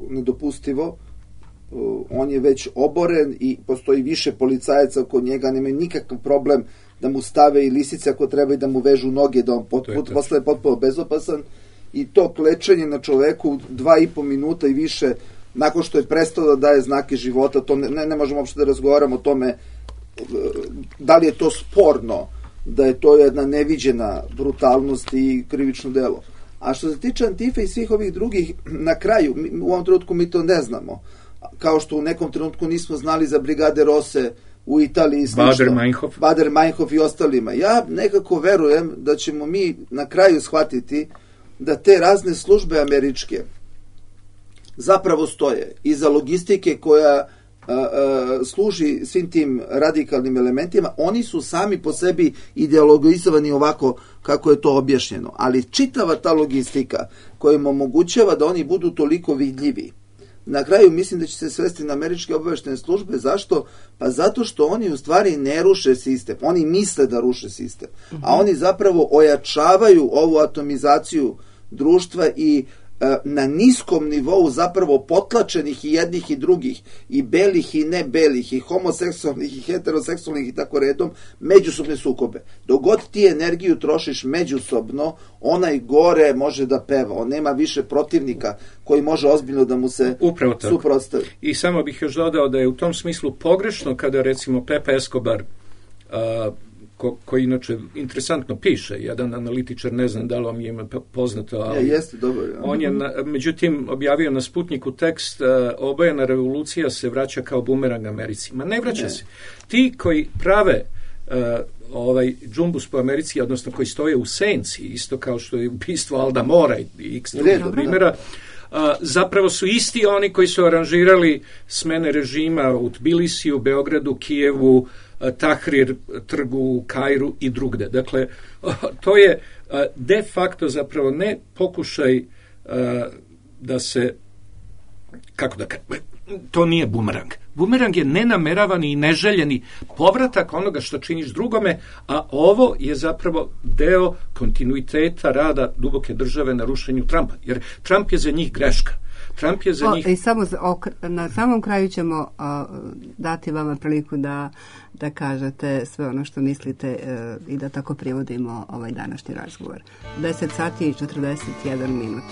nedopustivo. On je već oboren i postoji više policajaca oko njega, nemaju nikakav problem da mu stave i lisice ako treba i da mu vežu noge, da on pot, pot, postane potpuno bezopasan. I to klečenje na čoveku dva i po minuta i više nakon što je prestao da daje znake života, to ne, ne, ne možemo uopšte da razgovaramo o tome da li je to sporno, da je to jedna neviđena brutalnost i krivično delo. A što se tiče Antife i svih ovih drugih, na kraju, u ovom trenutku mi to ne znamo. Kao što u nekom trenutku nismo znali za Brigade Rose u Italiji i slično. Bader-Meinhof. Bader-Meinhof i ostalima. Ja nekako verujem da ćemo mi na kraju shvatiti da te razne službe američke zapravo stoje iza logistike koja a, a, služi svim tim radikalnim elementima. Oni su sami po sebi ideologizovani ovako kako je to objašnjeno. Ali čitava ta logistika koja im omogućava da oni budu toliko vidljivi, na kraju mislim da će se svesti na američke obavještajne službe. Zašto? Pa zato što oni u stvari ne ruše sistem. Oni misle da ruše sistem. A oni zapravo ojačavaju ovu atomizaciju društva i na niskom nivou zapravo potlačenih i jednih i drugih, i belih i ne belih, i homoseksualnih i heteroseksualnih i tako redom, međusobne sukobe. Dok god ti energiju trošiš međusobno, onaj gore može da peva. On nema više protivnika koji može ozbiljno da mu se suprotstavi. I samo bih još dodao da je u tom smislu pogrešno kada recimo Pepe Escobar, a, Ko, koji inače interesantno piše, jedan analitičar, ne znam da li vam je ima poznato, ali ja, jeste, dobro, ja. On je, na, međutim, objavio na Sputniku tekst, uh, obojena revolucija se vraća kao bumerang Americi. Ma ne vraća ne. se. Ti koji prave uh, ovaj džumbus po Americi, odnosno koji stoje u senci, isto kao što je ubistvo Alda Mora i x drugih primjera, Uh, zapravo su isti oni koji su aranžirali smene režima u Tbilisiju, Beogradu, Kijevu, uh, Tahrir trgu, Kairu i drugde. Dakle, uh, to je uh, de facto zapravo ne pokušaj uh, da se, kako da kažem, to nije bumerang. Bumerang je nenameravani i neželjeni povratak onoga što činiš drugome, a ovo je zapravo deo kontinuiteta rada duboke države na rušenju Trumpa. Jer Trump je za njih greška. Trump je za o, njih... I samo o, na samom kraju ćemo o, dati vama priliku da, da kažete sve ono što mislite e, i da tako privodimo ovaj današnji razgovor. deset sati i četrdeset jedan minut.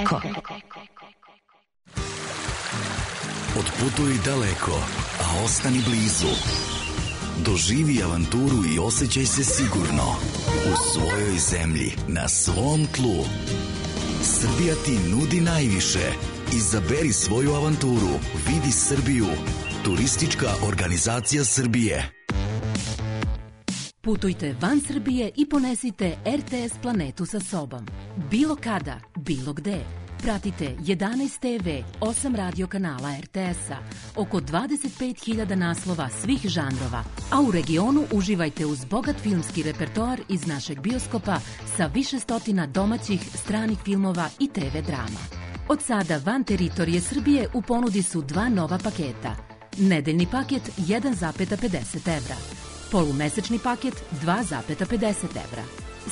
Eko. Otputuj daleko, a ostani blizu. Doživi avanturu i osjećaj se sigurno u svojoj zemlji, na svom tlu. Srbija ti nudi najviše. Izaberi svoju avanturu. Vidi Srbiju. Turistička organizacija Srbije. Putujte van Srbije i ponesite R T S planetu sa sobom. Bilo kada, bilo gde. Pratite jedanaest te ve, osam radio kanala R T S-a, oko dvadeset pet hiljada naslova svih žanrova, a u regionu uživajte uz bogat filmski repertoar iz našeg bioskopa sa više stotina domaćih, stranih filmova i te ve drama. Od sada van teritorije Srbije u ponudi su dva nova paketa. Nedeljni paket jedan zarez pedeset evra. Polumesečni paket dva zarez pedeset evra.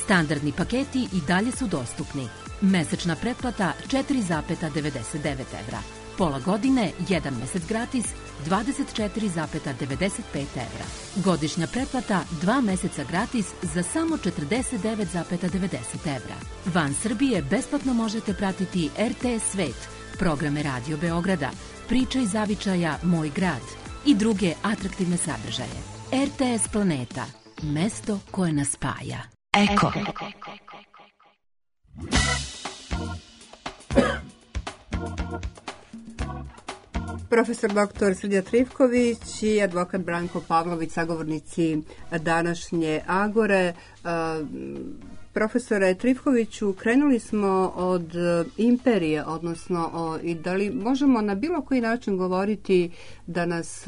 Standardni paketi i dalje su dostupni. Mesečna pretplata četiri zarez devedeset devet evra. Pola godine, jedan mesec gratis, dvadeset četiri zarez devedeset pet evra. Godišnja pretplata, dva meseca gratis za samo četrdeset devet zarez devedeset evra. Van Srbije besplatno možete pratiti er te es Svet, programe Radio Beograda, Priča iz zavičaja Moj grad i druge atraktivne sadržaje. er te es Planeta, mesto koje nas spaja. Eko. Profesor doktor Srđan Trifković i advokat Branko Pavlović, sagovornici današnje Agore. Profesore Trifkoviću, krenuli smo od imperije, odnosno o, i da li možemo na bilo koji način govoriti da nas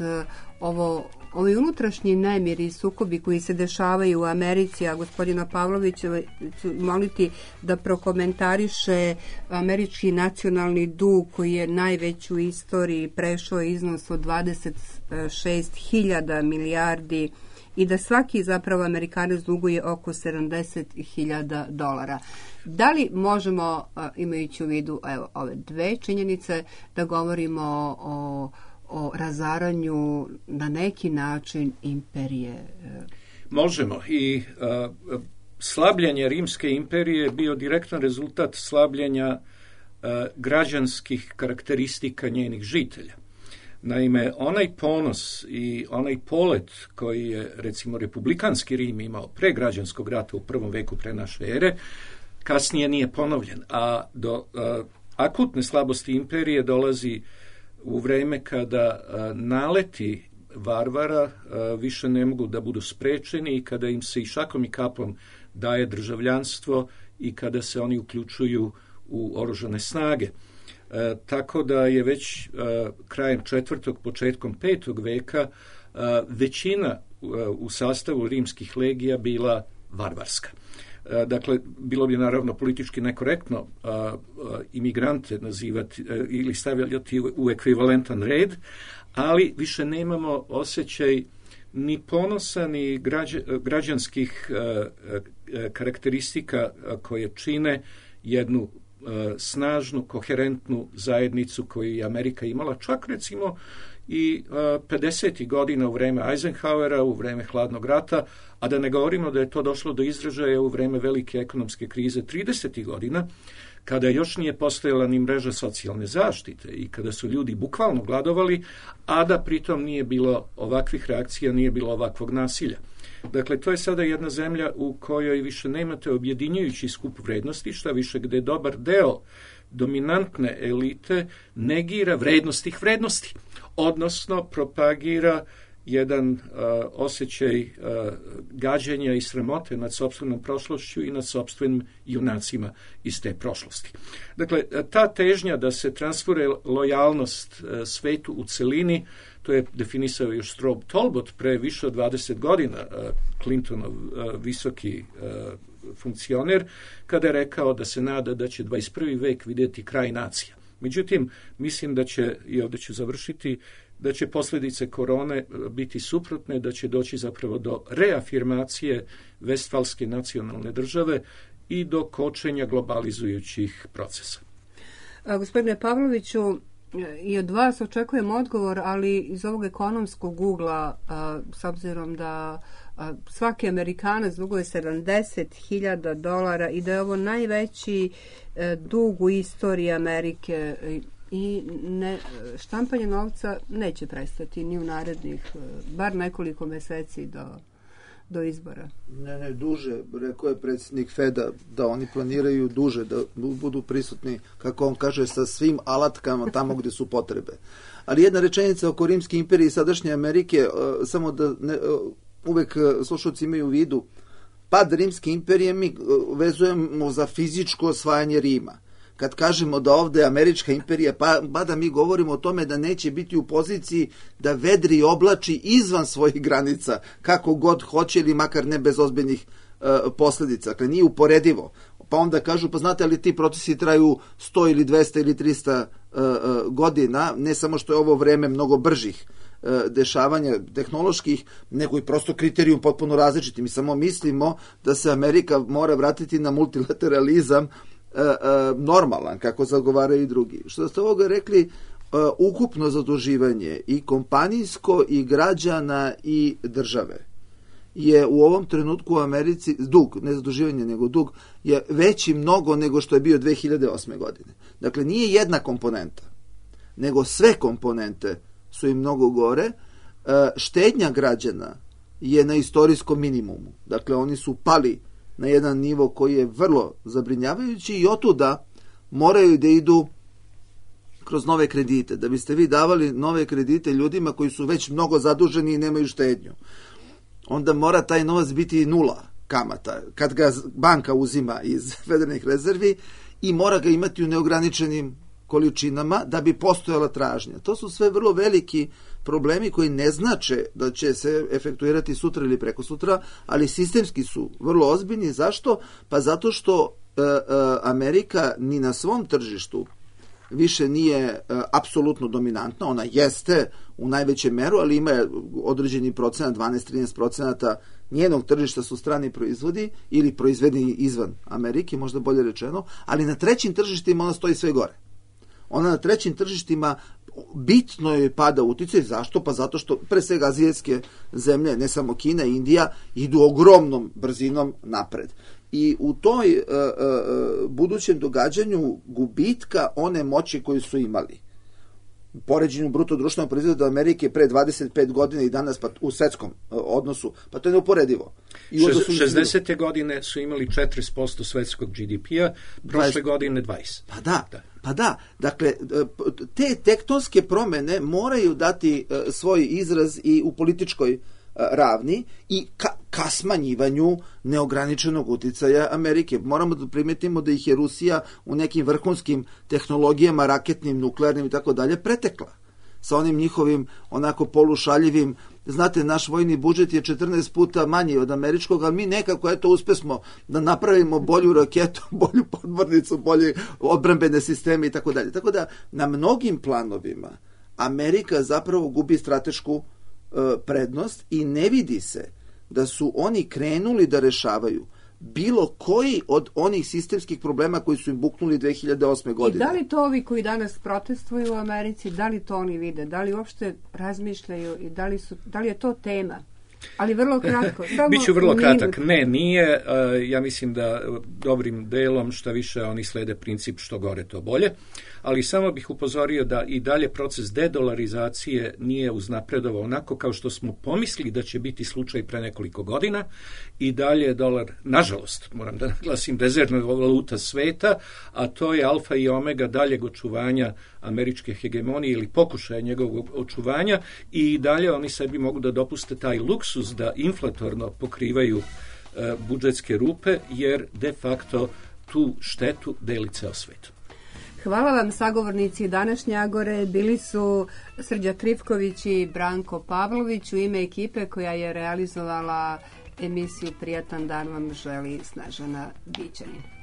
ovo, ovi unutrašnji nemiri i sukobi koji se dešavaju u Americi, a gospodina Pavlovića ću moliti da prokomentariše američki nacionalni dug koji je najveći u istoriji, prešao iznos od dvadeset šest hiljada milijardi i da svaki zapravo Amerikanac duguje oko sedamdeset hiljada dolara. Da li možemo, imajući u vidu evo, ove dve činjenice, da govorimo o, o razaranju na neki način imperije? Možemo i a, slabljenje Rimske imperije je bio direktan rezultat slabljenja a, građanskih karakteristika njenih žitelja. Naime, onaj ponos i onaj polet koji je, recimo, republikanski Rim imao pre građanskog rata u prvom veku pre naše ere, kasnije nije ponovljen, a do a, akutne slabosti imperije dolazi u vreme kada a, naleti varvara a, više ne mogu da budu sprečeni i kada im se i šakom i kapom daje državljanstvo i kada se oni uključuju u oružane snage. E, tako da je već e, krajem četvrtog, početkom petog veka e, većina e, u sastavu rimskih legija bila varvarska. E, dakle, bilo bi naravno politički nekorektno e, e, imigrante nazivati e, ili stavljati u, u ekvivalentan red, ali više nemamo osjećaj ni ponosa, ni građa, građanskih e, e, karakteristika koje čine jednu snažnu, koherentnu zajednicu koju je Amerika imala, čak recimo i pedesetih godina u vreme Eisenhowera, u vreme hladnog rata, a da ne govorimo da je to došlo do izražaja u vreme velike ekonomske krize tridesetih godina, kada još nije postojala ni mreža socijalne zaštite i kada su ljudi bukvalno gladovali, a da pritom nije bilo ovakvih reakcija, nije bilo ovakvog nasilja. Dakle, to je sada jedna zemlja u kojoj više nemate objedinjujući skup vrednosti, šta više gde dobar deo dominantne elite negira vrednost tih vrednosti, odnosno propagira jedan uh, osjećaj uh, gađenja i sramote nad sopstvenom prošlošću i nad sopstvenim junacima iz te prošlosti. Dakle, ta težnja da se transfere lojalnost uh, svetu u celini, to je definisao još Strobe Talbot pre više od dvadeset godina, uh, Clintonov uh, visoki uh, funkcioner, kada je rekao da se nada da će dvadeset prvi vek vidjeti kraj nacija. Međutim, mislim da će, i ovdje ću završiti, da će posljedice korone biti suprotne, da će doći zapravo do reafirmacije Vestfalske nacionalne države i do kočenja globalizujućih procesa. A, gospodine Pavloviću, i od vas očekujem odgovor, ali iz ovog ekonomskog ugla, a, s obzirom da a, svaki Amerikanac duguje sedamdeset hiljada dolara i da je ovo najveći a, dug u istoriji Amerike i ne, štampanje novca neće prestati ni u narednih bar nekoliko meseci do, do izbora. Ne, ne, duže. Rekao je predsjednik Feda da oni planiraju duže, da budu prisutni, kako on kaže, sa svim alatkama tamo gdje su potrebe. Ali jedna rečenica oko Rimske imperije i sadašnje Amerike, uh, samo da ne, uh, uvek uh, slušalci imaju u vidu, pad Rimske imperije mi uh, vezujemo za fizičko osvajanje Rima. Kad kažemo da ovdje američka imperija pada, mi govorimo o tome da neće biti u poziciji da vedri i oblači izvan svojih granica, kako god hoće ili makar ne bez ozbiljnih uh, posljedica. Dakle, nije uporedivo. Pa onda kažu, pa znate li ti procesi traju sto ili dvesta ili trista uh, uh, godina, ne samo što je ovo vreme mnogo bržih uh, dešavanja tehnoloških, nego i prosto kriterijum potpuno različiti. Mi samo mislimo da se Amerika mora vratiti na multilateralizam Uh, uh, normalan, kako zagovaraju i drugi. Što ste ovoga rekli, ukupno zaduživanje i kompanijsko i građana i države je u ovom trenutku u Americi, dug, ne zaduživanje nego dug, je veći mnogo nego što je bio dve hiljade osme godine. Dakle, nije jedna komponenta, nego sve komponente su im mnogo gore. Štednja građana je na istorijskom minimumu. Dakle, oni su pali na jedan nivo koji je vrlo zabrinjavajući i otuda moraju da idu kroz nove kredite. Da biste vi davali nove kredite ljudima koji su već mnogo zaduženi i nemaju štednju, onda mora taj novac biti nula kamata kad ga banka uzima iz federalnih rezervi i mora ga imati u neograničenim količinama da bi postojala tražnja. To su sve vrlo veliki problemi koji ne znače da će se efektuirati sutra ili preko sutra, ali sistemski su vrlo ozbiljni. Zašto? Pa zato što e, e, Amerika ni na svom tržištu više nije e, apsolutno dominantna. Ona jeste u najvećem meru, ali ima određeni procenat, dvanaest do trinaest procenata njenog tržišta su strani proizvodi ili proizvedeni izvan Amerike, možda bolje rečeno, ali na trećim tržištima ona stoji sve gore. Ona na trećim tržištima bitno je pada uticaj. Zašto? Pa zato što pre svega azijske zemlje, ne samo Kina i Indija, idu ogromnom brzinom napred. I u toj uh, uh, budućem događanju gubitka one moći koju su imali, u poređenju bruto društvenog proizvoda Amerike pre dvadeset pet godina i danas pa u svetskom uh, odnosu, pa to je neuporedivo. I šezdesete godine su imali četrdeset posto svetskog G D P-a, prošle dvadeset godine dvadeset. Pa da, da. Pa da, dakle, te tektonske promene moraju dati uh, svoj izraz i u političkoj uh, ravni i ka, ka smanjivanju neograničenog uticaja Amerike. Moramo da primetimo da ih je Rusija u nekim vrhunskim tehnologijama, raketnim, nuklearnim i tako dalje pretekla. Sa onim njihovim onako polušaljivim, znate, naš vojni budžet je četrnaest puta manji od američkog, ali mi nekako eto uspesmo da napravimo bolju raketu, bolju podmornicu, bolje odbrambene sisteme i tako dalje. Tako da na mnogim planovima Amerika zapravo gubi stratešku uh, prednost i ne vidi se da su oni krenuli da rešavaju bilo koji od onih sistemskih problema koji su im buknuli dve hiljade osme godine. I da li to ovi koji danas protestuju u Americi, da li to oni vide, da li uopšte razmišljaju i da li, su, da li je to tema? Ali vrlo kratko. Biću vrlo kratak. Ne, nije. Ja mislim da dobrim delom šta više oni slede princip što gore to bolje. Ali samo bih upozorio da i dalje proces dedolarizacije nije uznapredovao onako kao što smo pomislili da će biti slučaj pre nekoliko godina. I dalje je dolar, nažalost, moram da naglasim, rezervna valuta sveta, a to je alfa i omega daljeg očuvanja američke hegemonije ili pokušaja njegovog očuvanja i dalje oni sebi mogu da dopuste taj luksuz da inflatorno pokrivaju e, budžetske rupe, jer de facto tu štetu deli ceo svet. Hvala vam, sagovornici današnje Agore. Bili su Srđa Trifković i Branko Pavlović. U ime ekipe koja je realizovala emisiju Prijatan dan vam želi Snežana Bićanin.